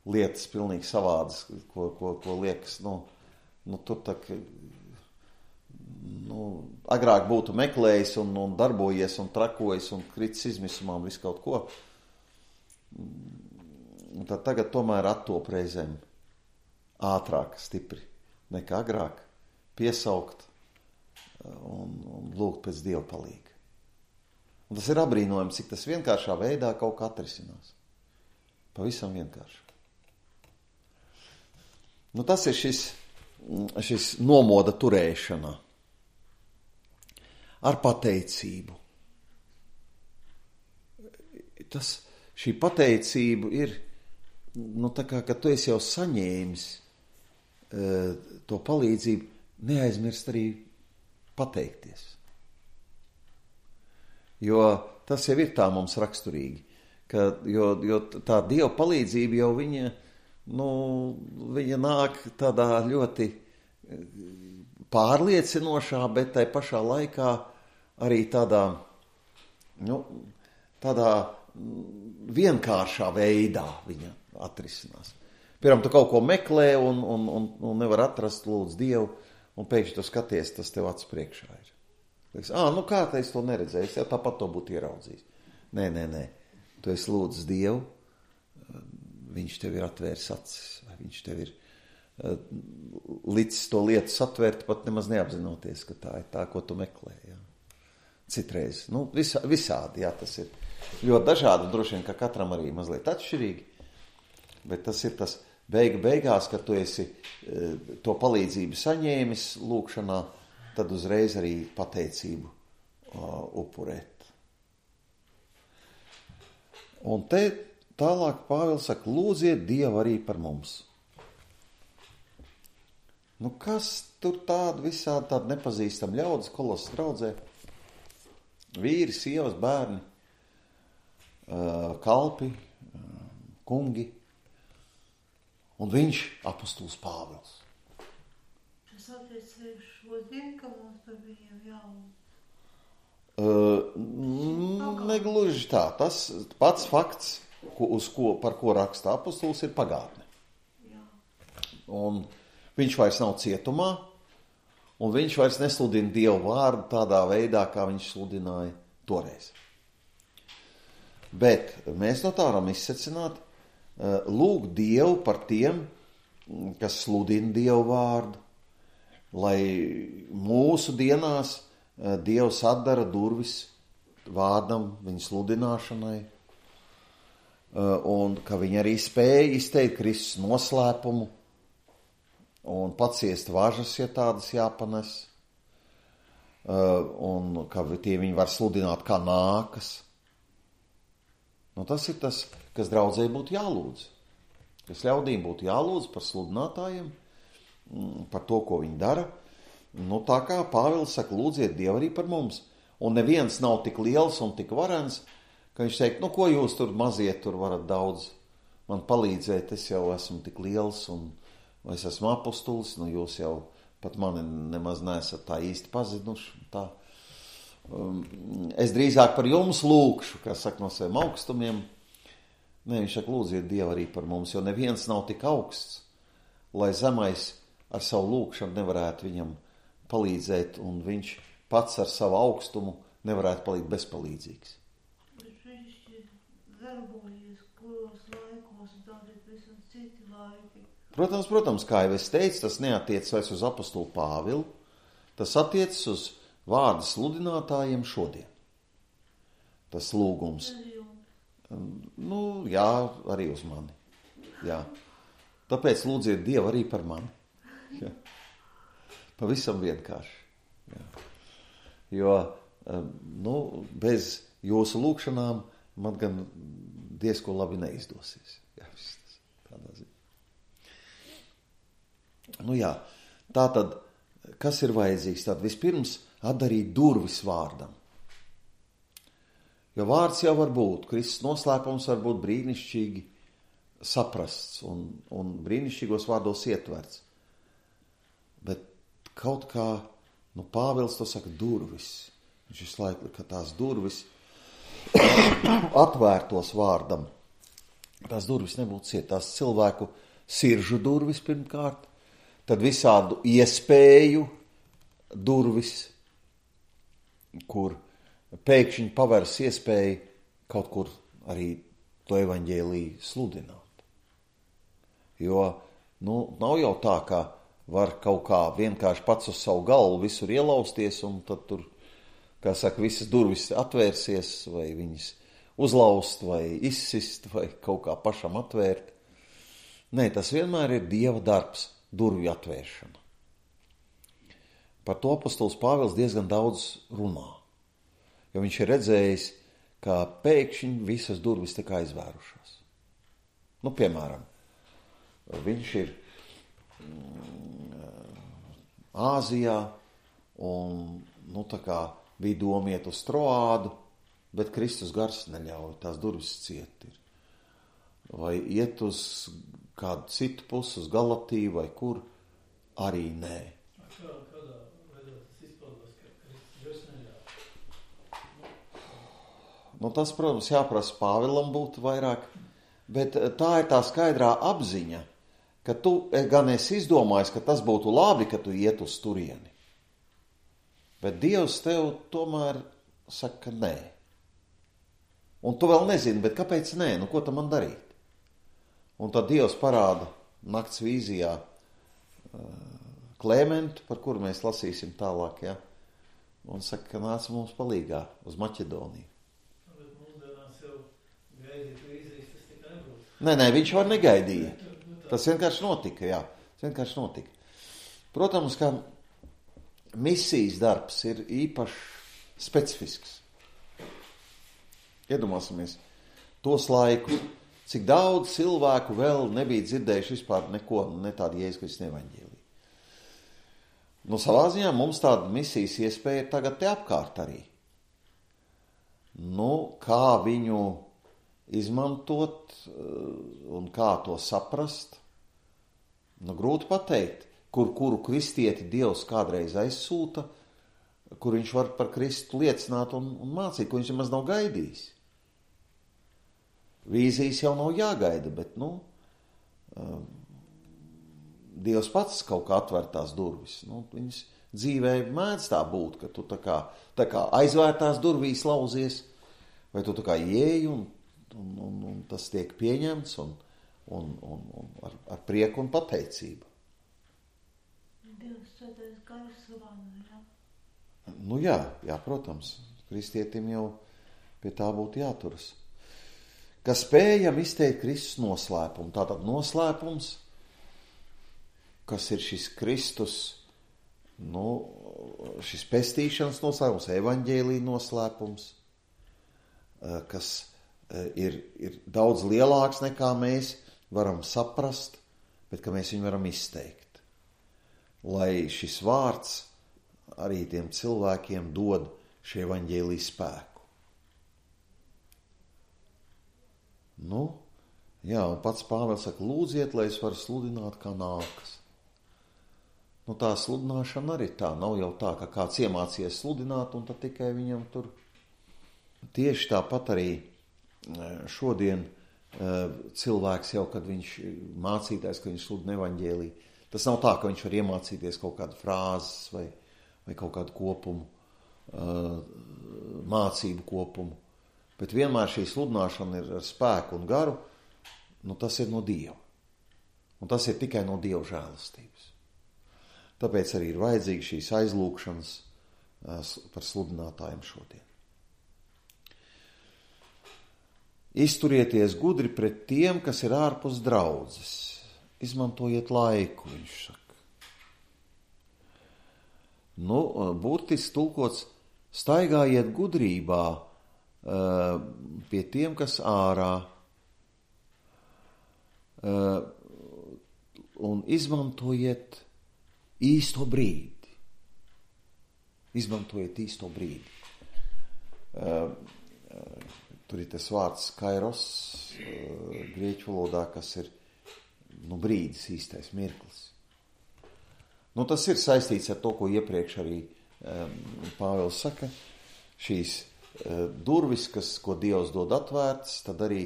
lietas, pilnīgi savādas, ko liekas, tur tā, agrāk būtu meklējis un darbojies un trakojies un kritis izmisumā un visu kaut ko. Un tad tagad tomēr attop reizēm ātrāk, stipri nekā agrāk, piesaukt un lūgt pēc Dieva palīga. Un tas ir abrīnojams, cik tas vienkāršā veidā kaut kā atrisinās. Pavisam vienkārši. Tas ir šis nomoda turēšana ar pateicību. Šī pateicība ir, tā kā, ka tu esi jau saņēmis to palīdzību, neaizmirst arī pateikties. Jo tas jau ir tā mums raksturīgi, jo tā Dieva palīdzība jau viņa nāk tādā ļoti pārliecinošā, bet tai pašā laikā arī tādā vienkāršā veidā viņa atrisinās. Piemēram, tu kaut ko meklē un nevar atrast, lūdz Dievu, un pēkšņi tu skaties, tas tev acu priekšā ir. Liekas, kā tā es to neredzēju, es jau tāpat to būtu ieraudzījis. Nē. Tu esi lūdz Dievu, viņš tev ir atvērs acis, vai viņš tev ir licis to lietu satvērt, pat nemaz neapzinoties, ka tā ir tā, ko tu meklē. Jā. Citreiz. Visādi, jā, tas ir ļoti dažādi, droši vien, ka katram arī mazliet atšķirīgi, bet tas ir tas beigās, kad tu esi to palīdzību saņēmis lūkšanā, tad uzreiz arī pateicību upurēt. Un te tālāk Pāvils saka, lūdziet Dievu arī par mums. Nu, kas tur tādi visādi tādi nepazīstami ļaudis Kolosas draudzē? Vīri, sievas, bērni, kalpi, kungi. Un viņš, apostols Pāvils. Tas attiec šodien, ka mums par viņiem jālūdz? Negluži tā. Tas pats fakts, par ko raksta apostols, ir pagātne. Jā. Un viņš vairs nav cietumā, un viņš vairs nesludina Dievu vārdu tādā veidā, kā viņš sludināja toreiz. Bet mēs no tā varam izsecināt, lūgt Dievu par tiem, kas sludina Dievu vārdu, lai mūsu dienās Dievs atdara durvis vārdam, viņa sludināšanai, un ka viņi arī spēja izteikt Kristus noslēpumu un paciest važas, ja tādas jāpanes, un ka tie viņi var sludināt kā nākas. Nu, tas ir tas, kas draudzē būtu jālūdz. Kas ļaudīm būtu jālūdz par sludinātājiem, par to, ko viņi dara. Nu, tā kā Pāvils saka, lūdziet Dievu arī par mums. Un neviens nav tik liels un tik varens, ka viņš teikt, nu, ko jūs tur mazie tur varat daudz man palīdzēt, es jau esmu tik liels un es esmu apostolis, nu, jūs jau pat mani nemaz neesat tā īsti pazinuši. Tā. Es drīzāk par jums lūkšu, kā saka, no saviem augstumiem. Nē, viņš saka, lūdziet Dievu arī par mums, jo neviens nav tik augsts, lai zemais ar savu lūkšanu nevarētu viņam palīdzēt, un viņš pats ar savu augstumu nevarētu palikt bezpalīdzīgs. Bet viņš ir darbojies, kuros laikos, tādi visam citi laiki. Protams, kā jau es teicu, tas neatiec vairs uz apostolu Pāvilu, tas attiecas uz vārdu sludinātājiem šodien. Tas lūgums. Nu, jā, arī uz mani. Jā. Tāpēc lūdziet Dievu arī par mani. Jā. Pavisam vienkārši. Jā. Jo, nu, bez jūsu lūkšanām man gan diezko labi neizdosies. Jā, tas tādā ziņā. Nu jā, tātad, kas ir vajadzīgs? Tad vispirms atdarīt durvis vārdam. Jo vārds jau var būt, Kristus noslēpums var būt brīnišķīgi saprasts un brīnišķīgos vārdos ietverts. Bet kaut kā, nu, Pāvils to saka durvis. Viņš visu laiku, ka tās durvis atvērtos vārdam. Tās durvis nebūtu ciet, tās cilvēku siržu durvis pirmkārt, tad visādu iespēju durvis, kur pēkšņi pavērs iespēju kaut kur arī to evaņģēliju sludināt. Jo, nu, nav jau tā, ka var kaut kā vienkārši pats uz savu galvu visur ielausties un tad tur, kā saka, visas durvis atvērsies vai viņas uzlaust vai izsist vai kaut kā pašam atvērt. Nē, tas vienmēr ir Dieva darbs, durvju atvēršana. Par to apostols Pāvils diezgan daudz runā, jo viņš ir redzējis, ka pēkšņi visas durvis tika aizvērušās. Nu, piemēram, viņš ir Āzijā un, nu, tā kā bija doma iet uz Troādu, bet Kristus gars neļauj, tās durvis ciet ir. Vai iet uz kādu citu pusi, uz Galatiju vai kur, arī nē. Kādā veidā tas izpildās, ka Kristus gars neļauj? Nu, tas, protams, jāprasa Pāvilam būtu vairāk, bet tā ir tā skaidrā apziņa, ka tu gan esi izdomājis, ka tas būtu labi, ka tu iet uz turieni. Bet Dievs tev tomēr saka, ka nē. Un tu vēl nezini, bet kāpēc nē? Nu, ko tam man darīt? Un tad Dievs parāda nakts vīzijā Klementu, par kuru mēs lasīsim tālāk, ja? Un saka, ka nāc mums palīgā uz Maķedoniju. Bet mūsdienās jau gaidīt vīzijas, tas tikai nebūs. Nē, viņš var negaidīja. Tas vienkārši notika, jā. Tas vienkārši notika. Protams, ka misijas darbs ir īpaši specifisks. Iedomāsimies tos laikus, cik daudz cilvēku vēl nebija dzirdējuši vispār neko, ne tādu Jēzus Kristus evaņģēliju. Nu, savā ziņā mums tāda misijas iespēja ir tagad te apkārt arī. Nu, kā viņu izmantot un kā to saprast, nu, grūti pateikt, kuru kristieti Dievs kādreiz aizsūta, kur viņš var par Kristu liecināt un mācīt, ko viņš nemaz nav gaidījis. Vīzijas jau nav jāgaida, bet, nu, Dievs pats kaut kā atver tās durvis. Nu, viņas dzīvē mēdz tā būt, ka tu tā kā aizvērtās durvīs lauzies, vai tu tā kā ieeji un tas tiek pieņemts un ar prieku un pateicību. Dievs svētais gars vana, jā? Nu jā, protams, kristietim jau pie tā būtu jāturas. Ka spējam izteikt Kristus noslēpumu. Tātad noslēpums, kas ir šis Kristus, nu, šis pestīšanas noslēpums, evaņģēlija noslēpums, kas ir daudz lielāks nekā mēs varam saprast, bet ka mēs viņu varam izteikt. Lai šis vārds arī tiem cilvēkiem dod šie evaņģēlija spēku. Nu, jā, un pats Pāvils saka, lūdziet, lai es varu sludināt, kā nākas. Nu, tā sludināšana arī tā, nav jau tā, ka kāds iemācījies sludināt, un tad tikai viņam tur. Tieši tāpat arī šodien cilvēks jau, kad viņš mācītājs, ka viņš sludina evaņģēliju, tas nav tā, ka viņš var iemācīties kaut kādu frāzes vai kaut kādu kopumu, mācību kopumu. Bet vienmēr šī sludināšana ir ar spēku un garu, nu tas ir no Dieva. Un tas ir tikai no Dieva žēlastības. Tāpēc arī ir vajadzīgi šīs aizlūgšanas par sludinātājiem šodien. Izturieties gudri pret tiem, kas ir ārpus draudzes. Izmantojiet laiku, viņš saka. Nu, burtiski tulkots, staigājiet gudrībā pie tiem, kas ārā, un izmantojiet īsto brīdi. Izmantojiet īsto brīdi. Tur ir tas vārds kairos, grieķu valodā, kas ir brīdis, īstais mirklis. Nu, tas ir saistīts ar to, ko iepriekš arī Pāvils saka, šīs durvis, ko Dievs dod atvērtas, tad arī,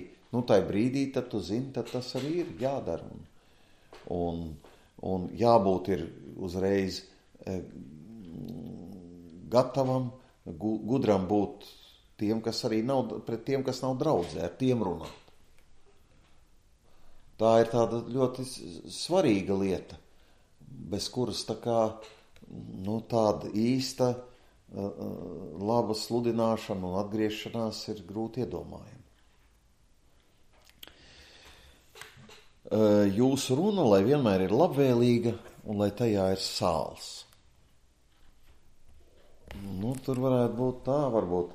tai brīdī, tad tu zini, tad tas arī ir jādara. Un jābūt ir uzreiz gatavam, gudram būt tiem, kas arī nav, pret tiem, kas nav draudzē, ar tiem runāt. Tā ir tāda ļoti svarīga lieta, bez kuras tā kā, tāda īsta laba sludināšana un atgriešanās ir grūti iedomājama. Jūsu runa, lai vienmēr ir labvēlīga un lai tajā ir sāls. Tur varētu būt tā, varbūt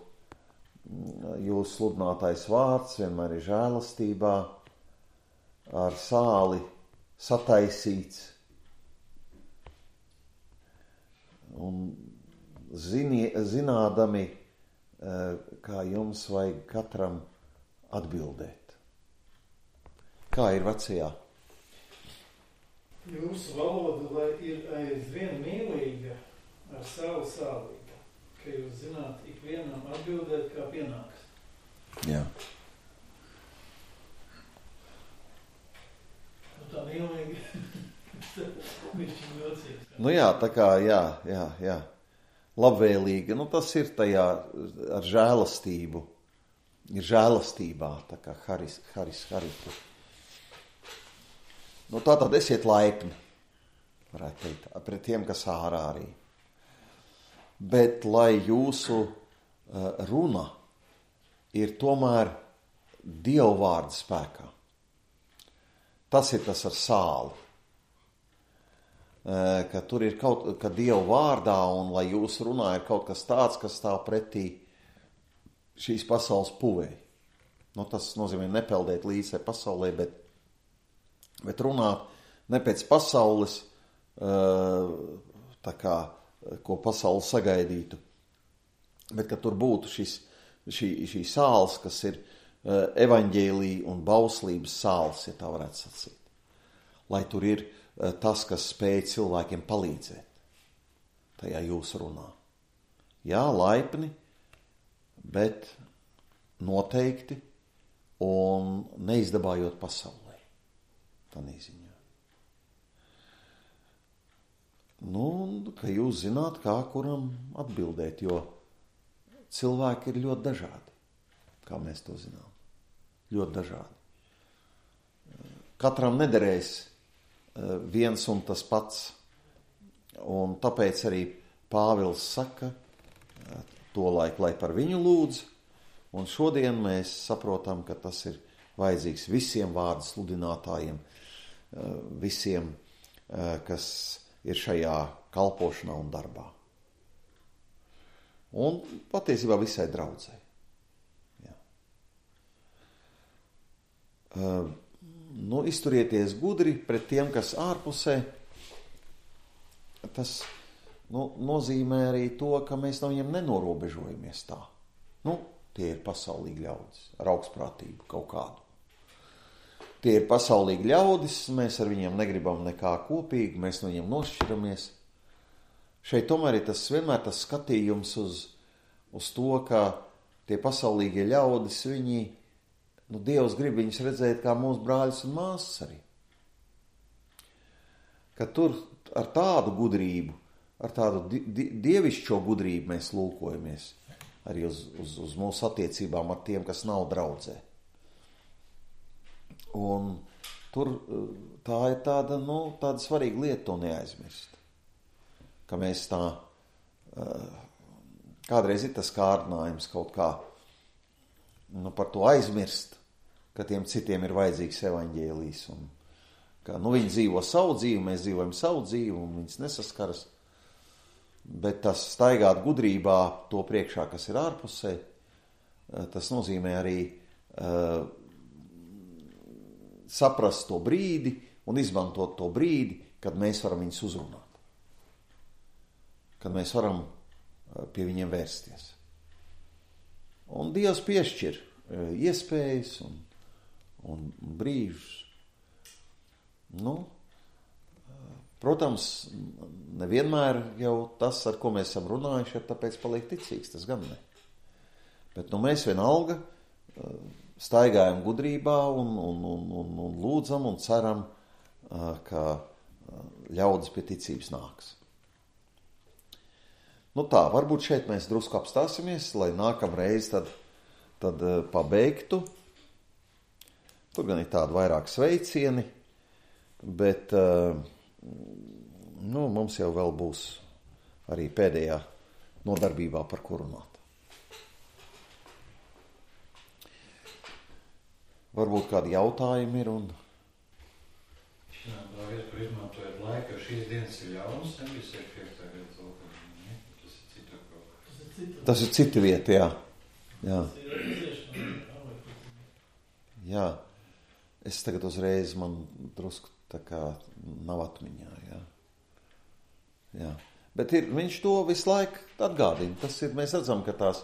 jūsu sludinātais vārds vienmēr ir žēlastībā, ar sāli sataisīts. Un zinādami, kā jums vajag katram atbildēt. Kā ir vecajā? Jūsu valoda, lai ir aizvien mīlīga ar savu sālību, ka jūs zināt ikvienam atbildēt, kā pienāks. Jā. Tā mīlīgi. Viņš ir jocīgs. Jā, tā kā, jā. Labvēlīga, tas ir tajā ar žēlastību. Ir žēlastībā, tā kā haritu. Tātad esiet laipni, varētu teikt, pret tiem, kas ārā arī. Bet, lai jūsu runa ir tomēr Dieva vārda spēkā. Tas ir tas ar sāli. Ka tur ir ka Dieva vārdā un lai jūsu runā ir kaut kas tāds, kas stāv pretī šīs pasaules puvēji. Tas nozīmē nepeldēt līdzi pasaulē, bet runāt ne pēc pasaules tā kā, ko pasauli sagaidītu, bet ka tur būtu šī sāls, kas ir evaņģēlija un bauslības sāls, ja tā varētu sacīt. Lai tur ir tas, kas spēj cilvēkiem palīdzēt tajā jūsu runā. Jā, laipni, bet noteikti un neizdabājot pasaulē. Tādā ziņā. Nu, ka jūs zināt, kā kuram atbildēt, jo cilvēki ir ļoti dažādi, kā mēs to zinām. Ļoti dažādi. Katram nederēs viens un tas pats, un tāpēc arī Pāvils saka tolaik, lai par viņu lūdz, un šodien mēs saprotam, ka tas ir vajadzīgs visiem vārdu sludinātājiem, visiem, kas ir šajā kalpošanā un darbā. Un patiesībā visai draudzei. Jā. Izturieties gudri pret tiem, kas ārpusē. Tas nozīmē arī to, ka mēs no viņiem nenorobežojamies tā. Tie ir pasaulīgi ļaudis ar augstprātību kaut kādu. Tie ir pasaulīgi ļaudis, mēs ar viņiem negribam nekā kopīgi, mēs no viņiem nošķiramies. Šeit tomēr ir vienmēr tas skatījums uz to, ka tie pasaulīgie ļaudis, viņi, Dievs grib viņus redzēt kā mūsu brāļus un māsas arī. Ka tur ar tādu gudrību, ar tādu dievišķo gudrību mēs lūkojamies arī uz mūsu attiecībām ar tiem, kas nav draudzē. Un tur tā ir tāda svarīga lieta to neaizmirst. Ka mēs tā, kādreiz ir tas kārdinājums kaut kā, par to aizmirst, ka tiem citiem ir vajadzīgs evaņģēlijs. Un ka, viņi dzīvo savu dzīvi, mēs dzīvojam savu dzīvi, un viņas nesaskaras. Bet tas staigāt gudrībā to priekšā, kas ir ārpusē, tas nozīmē arī saprast to brīdi un izmantot to brīdi, kad mēs varam viņus uzrunāt. Kad mēs varam pie viņiem vērsties. Un Dievs piešķir iespējas un brīžus. Protams, nevienmēr jau tas, ar ko mēs esam runājuši, ir tāpēc paliek ticīgs, tas gan ne. Bet mēs vienalga staigājam gudrībā un lūdzam un ceram, ka ļaudis pie ticības nāks. Varbūt šeit mēs drusku apstāsimies, lai nākamreiz tad pabeigtu. Tur gan ir tādi vairāk sveicieni, bet mums jau vēl būs arī pēdējā nodarbībā, par ko runāt. Varbūt kādi jautājumi ir un... Paldies, par izmantojot laiku, jo šīs dienas ir ļaunas, nebija 65. gada lokāļi, tas ir cita kaut. Tas ir cita vieta, jā. Jā. Es tagad uzreiz man drusku tā kā nav atmiņā, jā. Bet viņš to visu laiku atgādina. Tas ir, mēs redzam, ka tās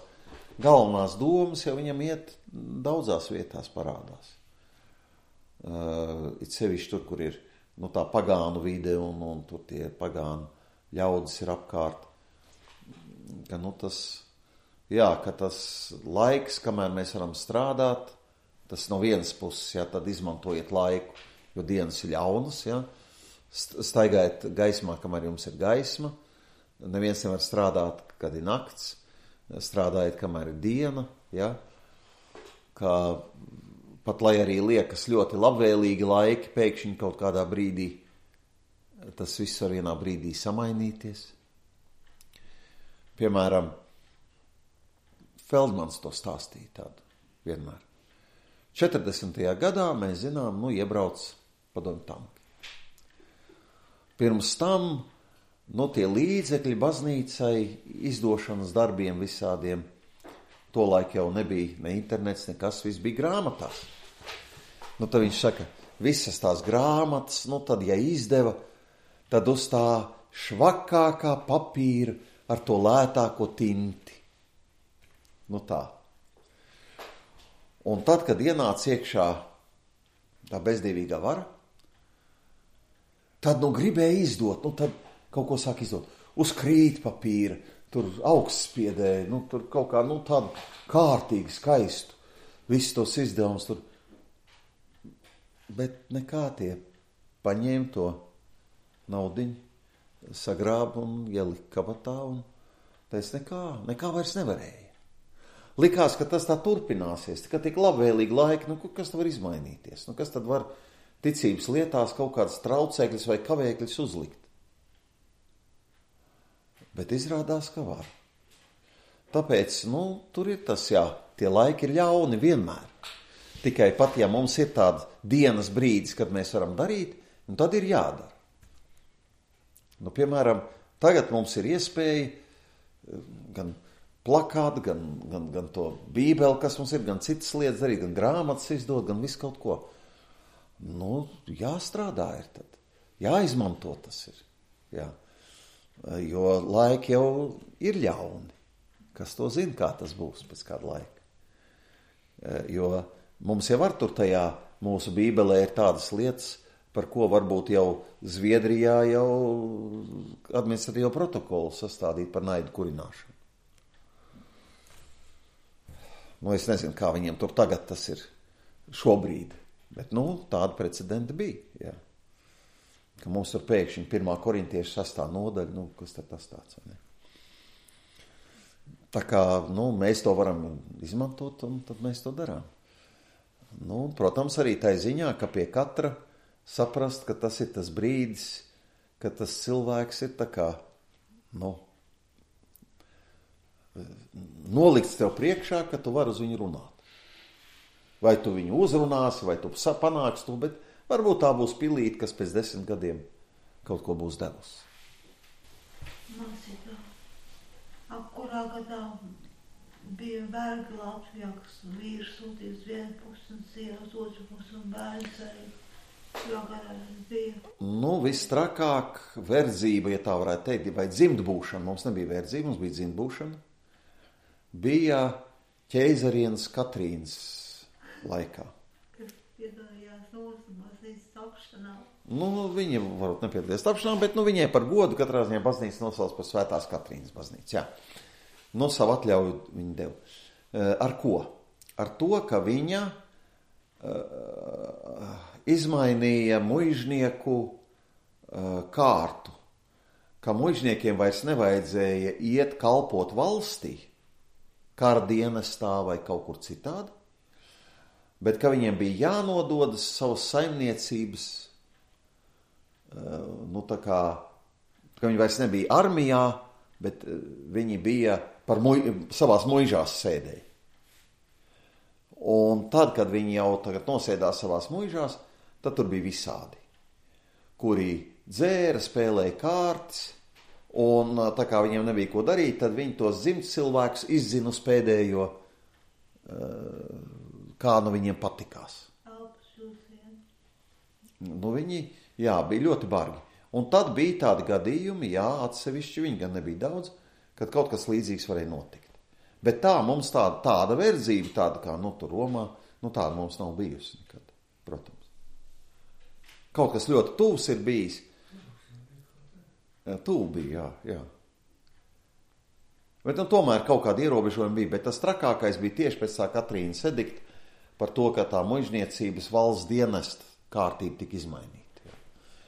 galvenās domas jau viņam iet daudzās vietās parādās. It sevišķi tur, kur ir tā pagānu vide un tur tie pagānu ļaudis ir apkārt. Ka ka tas laiks, kamēr mēs varam strādāt, tas no vienas puses, tad izmantojiet laiku, jo dienas ir ļaunas, staigājiet gaismā, kamēr jums ir gaisma. Neviens nevar strādāt, kad ir nakts. Strādājiet, kamēr ir diena, ka pat lai arī liekas ļoti labvēlīgi laiki, pēkšņi kaut kādā brīdī, tas viss var vienā brīdī samainīties. Piemēram, Feldmans to stāstīja tādu vienmēr. 40. gadā mēs zinām, iebrauc padomju tanki. Pirms tam, tie līdzekļi baznīcai, izdošanas darbiem visādiem, tolaik jau nebija ne internets, nekas, viss bija grāmatās. Tad viņš saka, visas tās grāmatas, tad, ja izdeva, tad uz tā švakākā papīra ar to lētāko tinti. Nu tā. Un tad, kad ienāca iekšā tā bezdīvīgā vara, tad, gribēja izdot, tad kaut ko sāk izdot. Uz krītpapīra, tur augstspiedēja, tur kaut kā, tādu kārtīgi skaistu. Visus tos izdevumus tur. Bet nekā tie paņēma to naudiņu, sagrāba un ielika kabatā un teica, nekā vairs nevarēja. Likās, ka tas tā turpināsies, ka tik labvēlīgi laiki, kas tad var izmainīties? Kas tad var ticības lietās kaut kādas traucēkļas vai kavēkļas uzlikt? Bet izrādās, ka var. Tāpēc, tur ir tas, tie laiki ir ļauni vienmēr. Tikai pat, ja mums ir tāda dienas brīdis, kad mēs varam darīt, tad ir jādara. Piemēram, tagad mums ir iespēja gan plakātu, gan to bībeli, kas mums ir, gan citas lietas darīt, gan grāmatas izdot, gan visu kaut ko. Jāstrādā ir tad. Jāizmanto tas ir. Jā. Jo laiki jau ir ļauni. Kas to zina, kā tas būs pēc kāda laika. Jo mums jau var tur tajā mūsu bībelē ir tādas lietas, par ko varbūt jau Zviedrijā jau administratīvo protokolu sastādīt par naidu kurināšanu. Es nezinu, kā viņiem tur tagad tas ir šobrīd, bet tāda precedenta bija. Jā. Ka mums tur pēkšņi 1. korintiešu 6. nodaļa, kas tad tas tāds, vai ne? Tā kā, mēs to varam izmantot, un tad mēs to darām. Protams, arī tai ziņā, ka pie katra saprast, ka tas ir tas brīdis, ka tas cilvēks ir tā kā, nolikts tev priekšā, ka tu vari uz viņu runāt. Vai tu viņu uzrunāsi, vai tu panāks to, bet varbūt tā būs pilīte, kas pēc 10 gadiem kaut ko būs devusi. Mācībā, kurā gadā bija vergi Latvijā, kas vīrs sūtīs vienu pusi un sievas otru pusi un bērns arī. Kurā gadā tas bija? Vistrakāk verdzība, ja tā varētu teikt, vai dzimtbūšana. Mums nebija verdzība, mums bija dzimtbūšana. Bija ķeizarienes Katrīnas laikā. Kas piedalījās baznīcas tapšanā. Viņa varbūt nepiedalījās tapšanā, bet viņai par godu katrā ziņā baznīca nosauc par Svētās Katrīnas baznīcu. Jā. Savu atļauju viņa deva. Ar ko? Ar to, ka viņa izmainīja muižnieku kārtu, ka muižniekiem vairs nevajadzēja iet kalpot valstī, kara dienestā vai kaut kur citādi, bet ka viņiem bija jānododas savas saimniecības, ka viņi vairs nebija armijā, bet viņi bija savās muižās sēdēji. Un tad, kad viņi jau tagad nosēdās savās muižās, tad tur bija visādi, kuri dzēra, spēlēja kārtas, un tā kā viņiem nebija ko darīt, tad viņi tos dzimts cilvēkus izzina uz pēdējo, kā viņiem patikās. Viņi, bija ļoti bargi. Un tad bija tādi gadījumi, atsevišķi, viņi gan nebija daudz, kad kaut kas līdzīgs varēja notikt. Bet tā mums tāda verdzība, tāda kā tur Romā, tāda mums nav bijusi nekad, protams. Kaut kas ļoti tuvs ir bijis. Tuvu bija, jā. Bet tomēr kaut kādi ierobežojumi bija, bet tas trakākais bija tieši pēc tā Katrīnas edikta par to, ka tā muižniecības valsts dienesta kārtība tika izmainīta.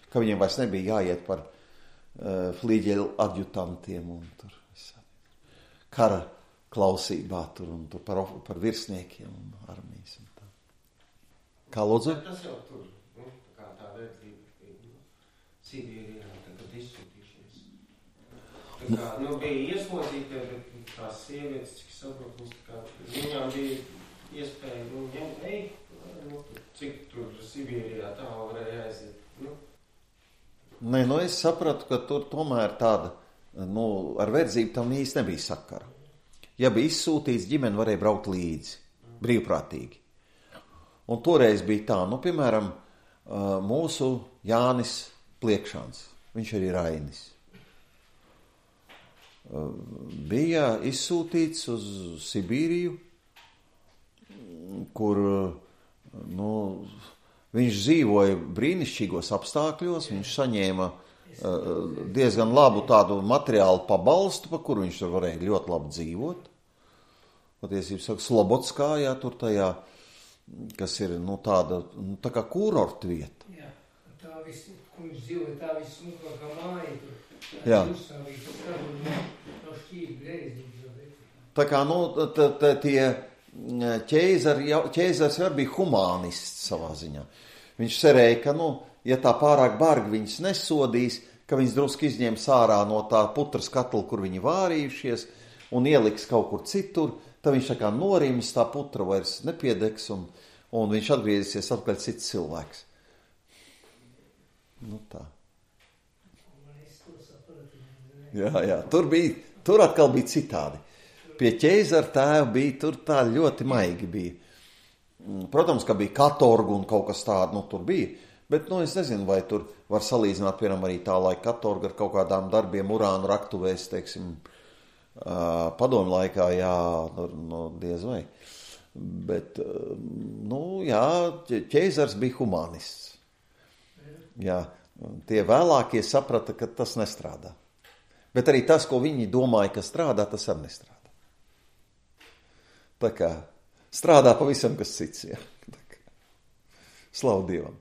Ka viņiem vairs nebija jāiet par flīģeļu adjutantiem un tur kara klausībā tur un tur par virsniekiem un armijas un tā. Kā lūdzu? Tas jau tur, kā tā verdzība, Sibīrijā, tagad izsūtīšies. Tā kā, bija ieslodzīti, bet tās sievietes, cik saprot, viņām bija iespēja, cik tur Sibīrijā tā varēja aiziet, Nē, es sapratu, ka tur tomēr tāda, ar verdzību tam īsti nebija sakara. Ja bija izsūtīts, ģimene varēja braukt līdzi, brīvprātīgi. Un toreiz bija tā, piemēram, mūsu Jānis Pliekšāns, viņš arī Rainis. bija izsūtīts uz Sibīriju, kur viņš dzīvoja brīnišķīgos apstākļos, viņš saņēma diezgan labu tādu materiālu pabalstu, pa kuru viņš tur varēja ļoti labi dzīvot. Patiesībā saka, Slobodskā, jā, tur tajā, kas ir, tāda, tā kā kurorta vieta. Jā, tā viss, kur viņš dzīvoja, tā viss smukākā māja tur. Jā. Tā kā, tie ķēzars var bija humānists savā ziņā. Viņš cerēja, ka, ja tā pārāk bargi viņus nesodīs, ka viņus drusku izņems ārā no tā putras katla, kur viņi vārījušies, un ieliks kaut kur citur, tad viņš tā kā norims, tā putra vairs nepiedegs, un viņš atgriezīsies atpakaļ cits cilvēks. Tā. Jā, tur atkal bija citādi. Pie ķēzara tēva bija, tur tā ļoti maigi bija. Protams, ka bija katorga un kaut kas tāda, tur bija, bet, es nezinu, vai tur var salīdzināt, piemēram, arī tā laika katorga ar kaut kādām darbiem urānu raktuvēs, teiksim, padomju laikā, jā, diez vai. Bet, jā, ķēzars bija humanists. Jā, tie vēlākie saprata, ka tas nestrādā. Bet arī tas, ko viņi domāja, ka strādā, tas arī nestrādā. Tā kā strādā pavisam kas cits, jā. Slavu Dievam.